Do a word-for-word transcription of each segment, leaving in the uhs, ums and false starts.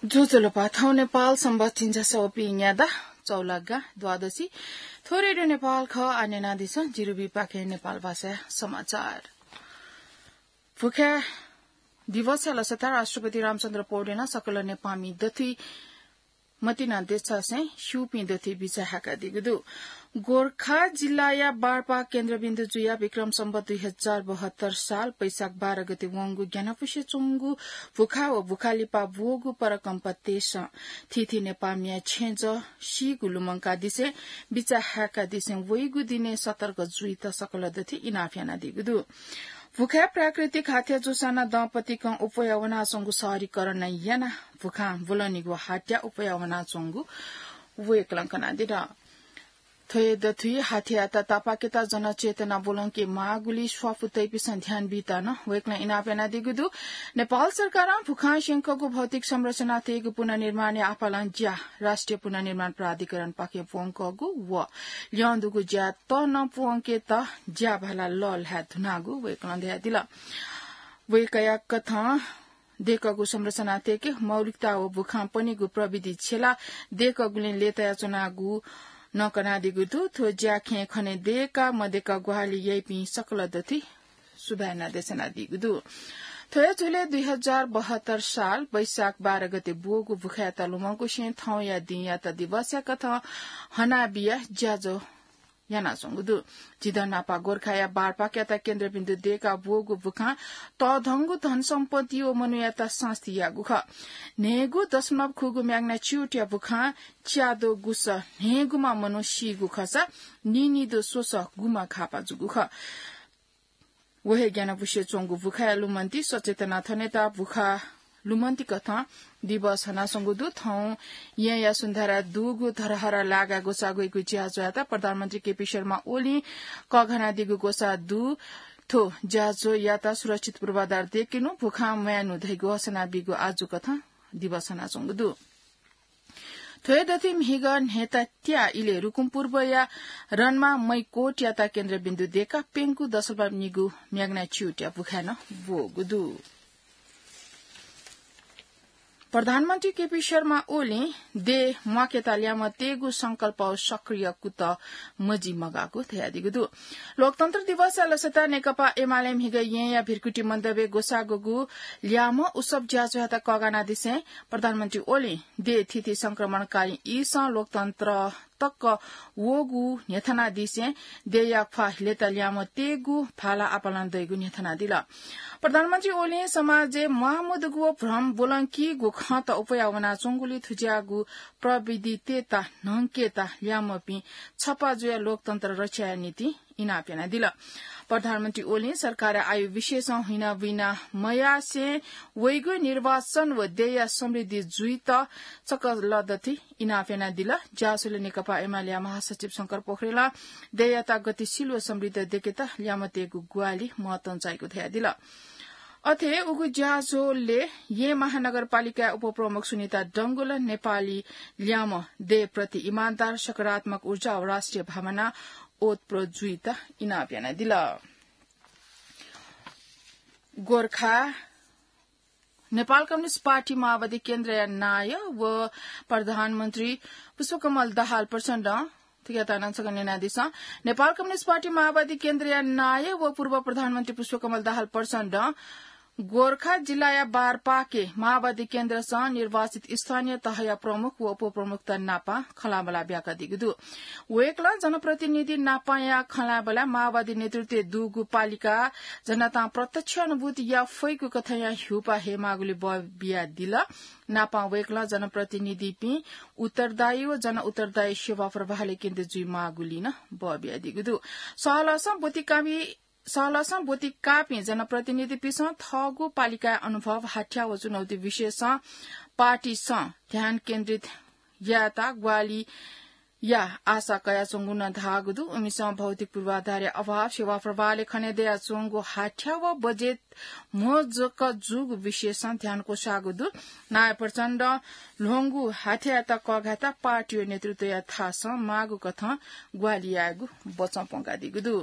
ज्वजलपा, थौं नेपाल संवत् झिंछसः व पीन्यादँ चौलागा द्वादशी। थ्व रेडियो नेपाल खः। आः न्यनादिसँ जिरुबीपाखें नेपाल भाषाया समाचार। भुखाय् दिवसया लसताय् राष्ट्रपति रामचन्द्र पौडेलं सकल नेपाःमि दथुइ मतिना देछासें स्यूपिं दथुइ बिचाः हाय्कादीगु दु। गोरखा जिल्लाया बारपाक केन्द्रबिन्दु जुयाः विक्रम सम्वत् दुई हजार बहत्तर साल वैशाख बाह्र गते वंगु ग्यानापुसे च्वंगु भुखाय् व भुखाय् लिपा ब्वःगु परकम्पा तेसं थीथी नेपाःमिया छेँजः सीगु लुमंकादिसें बिचाः हाय्कादिसें वइगु दिनय् सतर्क जुइत सकल दथुइ इनाप यानादीगु दु। भुखाय् प्राकृतिक हाथ्या जूसां नं दम्पतिकं अप्वया वनाच्वंगु सहरीकरण यानाः भुखां ब्वलनीगु हाथ्या अप्वया वनाच्वंगु वय्कलं कनादिल। थ्व हे दथुइ हाथ्यायात तापाकेत जनचेतना ब्वलंके माःगुलिइ स्वापू तइपिसं ध्यान बीत नं वय्कलं इनाप यानादीगु दु। नेपाल सरकारं भुखां स्यंकःगु भौतिक संरचना तयेगु पुनर्निर्माणया आपालं ज्या राष्ट्रिय पुनर्निर्माण प्राधिकरणपाखें प्वंकःगु व ल्यं दुगु ज्याय् तः नं प्वंकेत ज्याभाला लःल्हाये धुनागु वय्कलं धयादिल। वय्कःया कथं दय्कःगु संरचना तयेके मौलिकता व भुखां पनीगु प्रविधि छ्यलाः दय्कःगुलिं लय्तायाच्वनागु नं कनादीगु दु। थ्व ज्याखँय् खनेदय्काः मदय्काः ग्वाहालि याइपिं सकल दथुइ सुभाय् नं देछानादीगु दु। थ्व हे झ्वलय् दुई हजार बहत्तर साल वैशाख बाह्र गते ब्वःगु भुखाय्‌यात लुमंकुसें थौंया दिंयात दिवसया कथं हनाबियाः ज्याझ्वः यानाच्वंगु दु। झीदँ न्हापा गोरखाया बारपाकयात केन्द्रबिन्दु दय्काः ब्वःगु भुखां तःधंगु धनसम्पत्ति व मनूयात सास्ती याःगु खः। न्हय्गू दशमलव खुगू म्याग्नाच्युटया भुखां च्याद्वः गुसः न्हय्गुम्ह मनू सीगु खःसा नीनिद्वः स्वसः गुम्ह घाःपाः जूगु खः। व हे ग्यानापुसे च्वंगु भुखाया लुमन्ति सचेतना थनेत भुखा लुमन्ति कथं दिवस हनाच्वंगु दु। थौं येँया सुन्धारय् दुगु धरहरा लागाय् ग्वसाः ग्वइगु ज्याझ्वःयात प्रधानमन्त्री केपी शर्मा ओलीं कःघानादीगु ग्वसाः दु। थ्व ज्याझ्वःयात सुरक्षित पूर्वाधार दय्केनु, भुखां म्वायेनु धइगु हसना बीगु आजु कथं दिवस हनाच्वंगु दु। थ्व हे दथुइ म्हिगः न्हय्ता त्याः इलय् रुकुम पूर्वया रनमा मैकोटयात केन्द्रबिन्दु दय्काः प्यंकू दशमलव निगू म्याग्नाच्युटया भुखाय् नं ब्वःगु दु। प्रधानमन्त्री केपी शर्मा ओलीं देय् म्वाकेत ल्याय्म्ह तयेगु संकल्पय् सक्रिय कुतः मजि मगाःगु धयादीगु दु। लोकतन्त्र दिवसया लसताय् नेकपा एमाले म्हिगः येँया भिरकुटी मण्डपय् ग्वसाः ग्वःगु ल्याय्म्ह उत्सव ज्याझ्वःयात कःघानादिसें प्रधानमन्त्री ओलीं देय् थीथी संक्रमणकालीन ईसं लोकतन्त्र तक वःगु न्ह्यथनादिसें देय्या ख्वाः लय्ता ल्याय्म्ह तयेगु भाला आपालं दइगु न्ह्यथनादिल। प्रधानमन्त्री ओलीं समाजय् म्वाःमदुगु व भ्रम ब्वलंकीगु खँत अप्वया वनाच्वंगुलिं थुज्याःगु प्रविधितय्त न्हंकेत ल्याय्म्हपिं छपा जुयाः लोकतन्त्र रक्षा यायेगु निंतिं इनाप यानादिल। प्रधानमन्त्री ओलीं सरकारया आयु विषयसं हुइनाबुइना मयासें वइगु निर्वाचन व देय्या समृद्धि जुइत सकल दथुइ इनाप यानादिल। ज्याझ्वलय् नेकपा एमालेया महासचिव शंकर पोखरेलं देय्यात गतिशील व समृद्ध दय्केत ल्याय्म्ह तयेगु ग्वाहालि महत्वं चाइगु धयादिल। अथे उगु ज्याझ्वलय् येँ महानगरपालिकाया उपप्रमुख सुनिता डंगोलं नेपाली ल्याय्म्ह देय्प्रति इमानदार, सकारात्मक ऊर्जा व राष्ट्रिय भावना ओतप्रोत जुइत इनाप यानादिल। गोरखा नेपाल कम्युनिस्ट पार्टी माओवादी केन्द्रया नायः व प्रधानमन्त्री पुष्पकमल दाहाल प्रचण्डं थुकियात नं छकः न्यनादिसँ। नेपाल कम्युनिस्ट पार्टी माओवादी केन्द्रया नायः व पूर्व प्रधानमन्त्री पुष्पकमल दाहाल प्रचण्डं गोरखा जिल्लाया बारपाके माओवादी केन्द्रसं निर्वाचित स्थानीय तहया प्रमुख व उपप्रमुखत नापं खँल्हाबल्हा ब्याकादीगु दु। वय्कलं जनप्रतिनिधि नापंया खँल्हाबल्हाय् माओवादी नेतृत्वय् दुगु पालिका जनतां प्रत्यक्ष अनुभूति याये फइगु कथंया ह्यूपाः हयेमाःगुलिइ बः बियादिल। नापं वय्कलं जनप्रतिनिधिपिं उत्तरदायी व जनउत्तरदायी सेवा प्रवाहलय् केन्द्रित जुइमाःगुलिइ नं बः बियादीगु दु। सहलहसं ब्वति काःपिं सहलहसं ब्वति काःपिं जनप्रतिनिधिपिन्सं थःगु पालिकाया अनुभव, हाथ्या व चुनौती विषयसं पार्टीसं ध्यान केन्द्रित यायेत ग्वाहालिया आशा कयाच्वंगु नं धाःगु दु। उमिसं भौतिक पूर्वाधारया अभाव, सेवा प्रवाहलय् खनेदयाच्वंगु हाथ्या व बजेट म्हो जक जूगु विषयसं ध्यान क्वसाःगु दु। नायः प्रचण्डं ल्ह्वंगु हाथ्यायात कःघायेत पार्टी व नेतृत्वया थासं माःगु कथं ग्वाहालि यायेगु बचं प्वंकादीगु दु।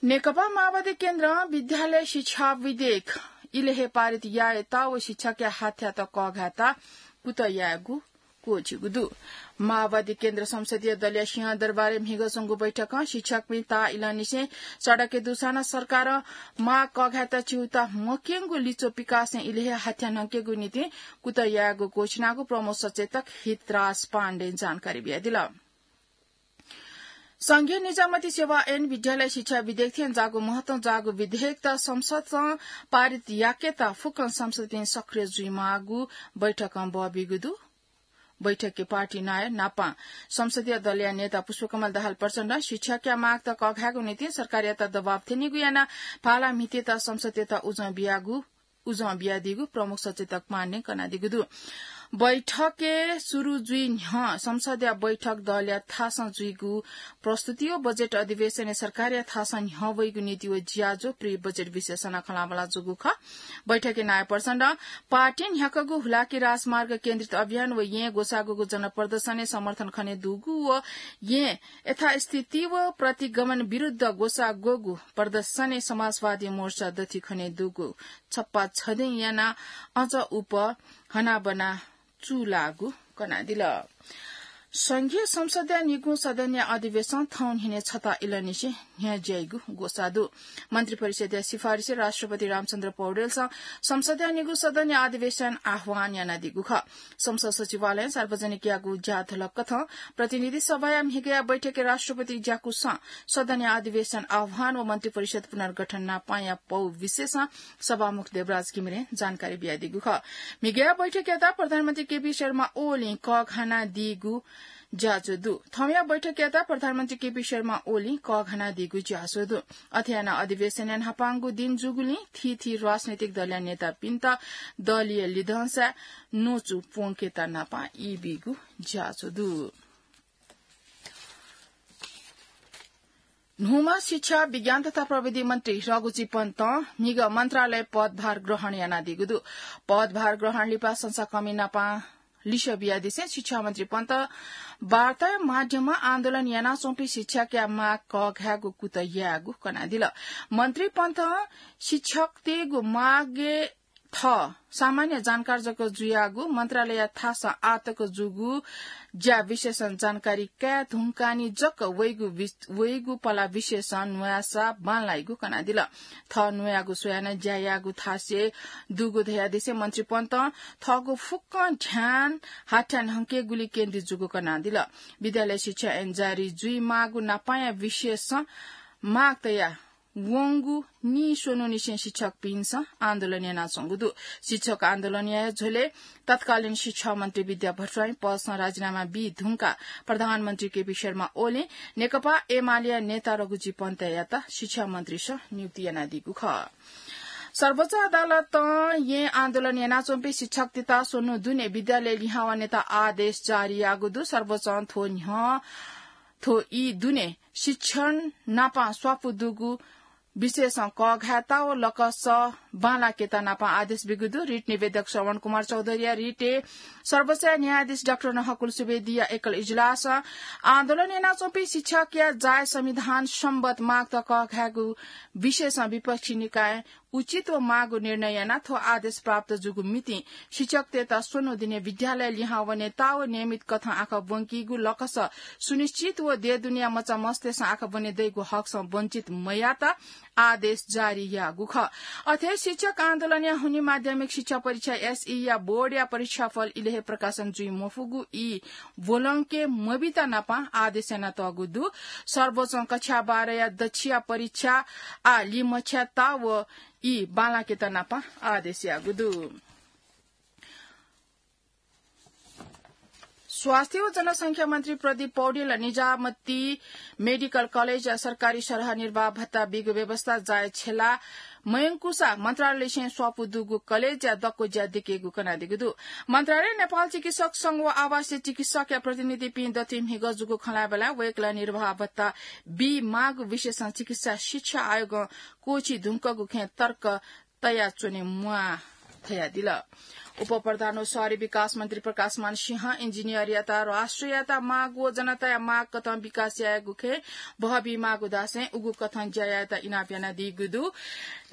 नेकपा माओवादी केन्द्रं विद्यालय शिक्षा विधेयक इलय् हे पारित यायेत व शिक्षकया हाथ्यात कःघायेत कुतः यायेगु क्वःछिगु दु। माओवादी केन्द्र संसदीय दलया सिंहदरबारय् म्हिगः च्वंगु बैठकं शिक्षकपिं ताःइलंनिसें सडकय् दुसां नं सरकारं माग कःघायेत च्यूताः मक्यंगु लिच्वः पिकासें इलय् हे हाथ्या न्हंकेगु निंतिं कुतः यायेगु क्वःछिनागु प्रमुख सचेतक हितराज पाण्डें जानकारी बियादिल। संघीय निजामती सेवा ऐन विद्यालय शिक्षा विधेयक थें जाःगु महत्वं जाःगु विधेयकत संसदं पारित याकेत फुक्कं सांसदपिं सक्रिय जुइमाःगु बैठकं बः बीगु दु। बैठकय् पार्टी नायः नापं संसदीय दलया नेता पुष्पकमल दाहाल प्रचण्डं शिक्षकया मागत कःघायेगु निंतिं सरकारयात दबाब थ्यनीगु यानाः भाला म्हितेत संसदयात उजं बियादीगु प्रमुख सचेतक पाण्डें कनादीगु दु। बैठकय् सुरु जुइ न्ह्यः संसदया बैठक दलया थासं जुइगु प्रस्तुति व बजेट अधिवेशनय् सरकारया थासं न्ह्यः वइगु नीति व ज्याझ्वः प्रि बजेट विश्लेषणं खँल्हाबल्हा जूगु खः। बैठकय् नायः प्रचण्डं पार्टीं न्ह्याकागु हुलाकी राजमार्ग केन्द्रित अभियान व येँ ग्वसाःगुगु जनप्रदर्शनय् समर्थन खनेदुगु व येँ यथास्थिति व प्रतिगमन विरुद्ध ग्वसाःगुगु प्रदर्शनय् समाजवादी मोर्चा दथुइ खनेदुगु छप्पा छधें यानाः अझ उप हनाबना चूलाःगु कनादिल। संघीय संसदया निगू सदनया अधिवेशन थौं न्हिनय् छता इलंनिसें न्ह्यज्याइगु ग्वसाः दु। मन्त्रिपरिषदया सिफारिसय् राष्ट्रपति रामचन्द्र पौडेलसं संसदया निगू सदनया अधिवेशन आह्वान यानादीगु खः। संसद सचिवालयं सार्वजनिक याःगु ज्याझ्वलय् कथं प्रतिनिधि सभाया म्हिगःया बैठकय् राष्ट्रपति ज्याकुसं सदनया अधिवेशन आह्वान व मन्त्रिपरिषद पुनर्गठन नापांया पौ विषयसं सभामुख देवराज घिमिरें जानकारी बियादीगु खः। म्हिगःया बैठकयात प्रधानमन्त्री केपी शर्मा ओलीं कःघानादीगु ज्याझ्वः दु। थौंया बैठकयात प्रधानमन्त्री केपी शर्मा ओलीं कःघानादीगु ज्याझ्वः दु। अथे यानाः अधिवेशनया न्हापांगु दिं जूगुलिं थीथी राजनैतिक दलया नेतापिन्त दलीय लिधंसाय् न्वचु प्वंकेत नापां ई बीगु ज्याझ्वः दु। न्हूम्ह शिक्षा, विज्ञान तथा प्रविधि मन्त्री रघुजी पन्तं म्हिगः मन्त्रालय पदभार ग्रहण यानादीगु दु। पदभार ग्रहण लिपा संसाकःमि नापां लिसः बियादिसें शिक्षा मन्त्री पन्तं वार्ताया माध्यमं आन्दोलन यानाच्वंपिं शिक्षकया माग कःघायेगु कुतः यायेगु कनादिल। मन्त्री पन्तं शिक्षकतय्गु मागय् थः सामान्य जानकार जक जुयागु मन्त्रालयया थासं आःतक जूगु ज्या विषयसं जानकारी काये धुंकानि जक वइगु वि-, वइगु पला विषयसं न्वयासा बांलाइगु कनादिल। थः न्वयागु स्वयाः नं ज्या याःगु थासय् दुगु धयादिसें मन्त्री पन्तं थःगु फुक्कं ध्यान हाथ्या न्हंकेगुली केन्द्रित जूगु कनादिल। विद्यालय शिक्षा ऐन जारी जुइमाःगु नापांया विषयसं माग तया वंगु नीस्वन्हुनिसें शिक्षकपिन्सं आन्दोलन यानाच्वंगु दु। शिक्षक आन्दोलनया झ्वलय् तत्कालीन शिक्षा मन्त्री विद्या भट्टराई पदसं राजीनामा बी धुंकाः प्रधानमन्त्री केपी शर्मा ओलीं नेकपा एमालेया नेता रघुजी पन्तयात शिक्षा मन्त्रीसं नियुक्ति यानादीगु खः। सर्वोच्च अदालतं येँ आन्दोलन यानाच्वंपिं शिक्षकतय्त स्वन्हु दुने विद्यालय लिहां वनेत आदेश जारी याःगु दु। सर्वोच्चं थ्व न्ह्यः थ्व ई दुने शिक्षण नापं स्वापू दुगु विषयसं कःघायेत व लकस बांलाकेत नापं आदेश बीगु दु। रिट निवेदक श्रवण कुमार चौधरीया रिटय् सर्वोच्च न्यायाधीश डाक्टर नहकुल सुवेदीया एकल इजलासं आन्दोलन यानाच्वंपिं शिक्षकया जायज संविधान सम्बत मागत कःघायेगु विषयसं विपक्षी निकायं उचित व माःगु निर्णय यानाः थ्व आदेश प्राप्त जूगु मितिं शिक्षकतय्त स्वन्हु दुने विद्यालय लिहां वनेत व नियमित कथं आखः ब्वंकीगु लकस सुनिश्चित व देय् दुनेया मचामस्तय्सं आखः ब्वने दइगु हकसं वञ्चित मयायेत आदेश जारी याःगु खः। अथे शिक्षक आन्दोलनया हुनिं माध्यमिक शिक्षा परीक्षा, एसई, या बोर्डया परीक्षाफल इलय् हे प्रकाशन जुइ मफुगु ई ब्वलंके मबीत नापं आदेश यानातःगु दु। सर्वोच्चं कक्षा बाह्रया दच्छिया परीक्षा आः लिमछ्यायेत व ई बांलाकेत नापं आदेश याःगु दु। स्वास्थ्य व जनसंख्या मन्त्री प्रदीप पौडेलं निजामती मेडिकल कलेजया सरकारी सरह निर्वाह भत्ता बीगु व्यवस्था जायज छ्यला मयंकुसा मन्त्रालयलिसें स्वापू दुगु कलेजया दक्व ज्या दिकेगु कनादीगु दु। मन्त्रालयं नेपाल चिकित्सक संघ व आवासीय चिकित्सकया प्रतिनिधिपिं दथुइ म्हिगः जूगु खँल्हाबल्हाय् वय्कलं निर्वाह भत्ता बी माःगु विषयसं चिकित्सा शिक्षा आयोगं क्वःछी धुंकूगु खँय् तर्क तयाच्वने म्वाः धयादिल। उपप्रधान व शहरी विकास मन्त्री प्रकाशमान सिंह इन्जिनियरयात राष्ट्रियता माग व जनताया माग कथं विकास यायेगु खँय् बहबी माःगु धासें उगु कथं ज्या यायेत इनाप यानादीगु दु।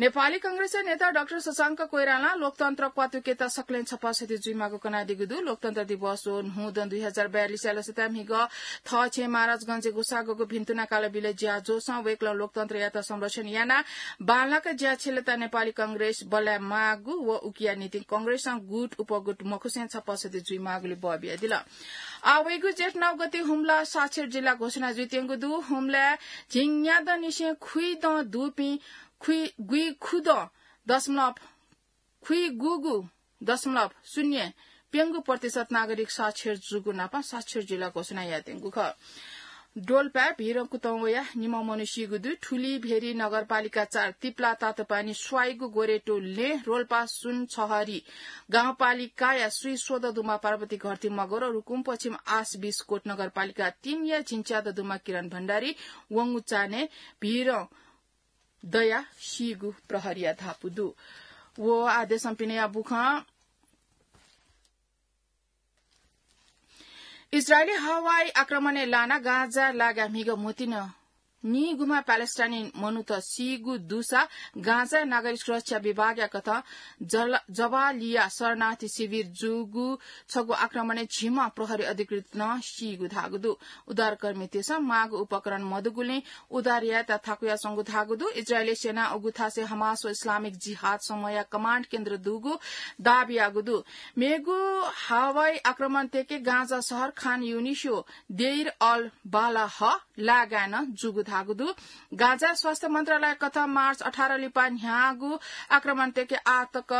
नेपाली कांग्रेसया नेता डाक्टर शशांक कोइरालां लोकतन्त्र क्वातुकेत सकलें छपा सति जुइमाःगु कनादीगु दु। लोकतन्त्र दिवस व न्हूदँ दुई हजार बयालिस या लसताय् म्हिगः थःछेँ महाराजगंजय् गुसागःगु भिन्तुना कालबिल ज्याझ्वलय् वय्कलं लोकतन्त्रयात संरक्षण यानाः बांलाक ज्या छ्यलेत नेपाली कांग्रेस बल्लाये माःगु व उकिया निंतिं कांग्रेसं गुट उपगुट मखुसें छपा सति जुइमाःगुलि बः बियादिल। आः वइगु जेठ नौ गते हुम्ला साक्षर जिल्ला घोषणा जुइत्यंगु दु। हुम्लाय् झिंन्यादँनिसें खुइदँ दुपिं खुइ-, गुइखुदँ दशमलव खुइगूगू दशमलव शून्य प्यंगू प्रतिशत नागरिक साक्षर जूगु नापं साक्षर जिल्ला घोषणा यायेत्यंगु खः। डोल्पाय् भिरं कुतः वयाः निम्ह मनू सीगु दु। ठुली भेरी नगरपालिका चार तिप्ला तातोपानी स्वाइगु गोरेटोल लँय् रोल्पा सुनछहरी गाउँपालिकाया स्वीस्वदँ दुम्ह पार्वती घरती मगर, रुकुम पश्चिम आस बिसकोट नगरपालिका तीनया झिंच्यादँ दुम्ह किरण भण्डारी, वंगु चान्हय् भिरं दयाः सीगु प्रहरीया धापू दु। व आः देशं पिनेया बुखँ। इजरायली हवाई आक्रमणय् लानाः गाजाय् लागाः म्हिगः म्होतिन नीगुम्ह प्यालेस्टाइनी मनूत सीगु दुसा गाजाय् नागरिक सुरक्षा विभागया कथं जल-, जबालिया शरणार्थी शिविर जूगु छगू आक्रमणय् झिम्ह प्रहरी अधिकृत नं सीगु धाःगु दु। उद्धारकर्मीतय्सं माःगु उपकरण मदुगुलिं उद्धार यायेत थाकुयाच्वंगु धाःगु दु। इजरायली सेनां उगु थासय् हमास व इस्लामिक जिहाद समूहया कमाण्ड केन्द्र दुगु दाबी याःगु दु। मेगु हवाई आक्रमण तय्के गाजा शहर खान युनिस व देइर अल बालाह लागाय् नं जूगु धाःगु दु। गाजा स्वास्थ्य मन्त्रालय कथं मार्च अठार लिपा न्ह्याःगु आक्रमण तय्के आः तक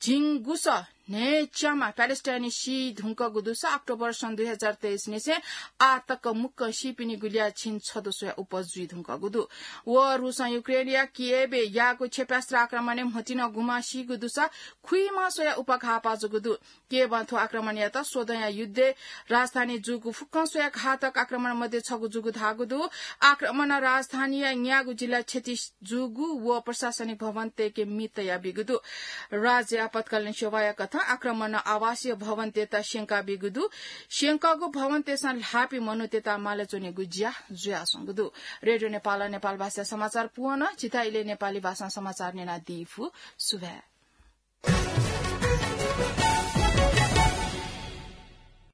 झिंगुसः न्हय्च्याम्ह प्यालेस्टाइनी सी धुंकूगु दुसा अक्टोबर सन् दुई हजार तेइस निसें आः तक मुक्कं सीपिनिगु ल्याः झिंछदँ स्वया उपज जुइ धुंकूगु दु। व रुसं युक्रेनया किएभय् याःगु क्षेप्यास्त्र आक्रमणय् म्होतिन गुम्ह सीगु दुसा खुइम्ह स्वया उपघाःपा जूगु दु। किएभं थ्व आक्रमणयात स्वदँया युद्धय् राजधानी जूगु फुक्कं स्वया घातक आक्रमण मध्ये छगू जूगु धाःगु दु। आक्रमणं राजधानीया न्यागू जिल्ला क्षति जूगु व प्रशासनिक भवन तय्के मि तयाबीगु दु। राज्य आपतकालीन सेवाया कथं आक्रमणं आवासीय भवनतय्त स्यंकाबीगु दु। स्यंकःगु भवनतय्सं ल्हाःपिं मनूतय्त माले च्वनेगु ज्या जुयाच्वंगु दु। रेडियो नेपालं नेपाल भाषा समाचार पूवन। छितः इलय् नेपाली भाषां समाचार न्यनादी फु। सुभाय्।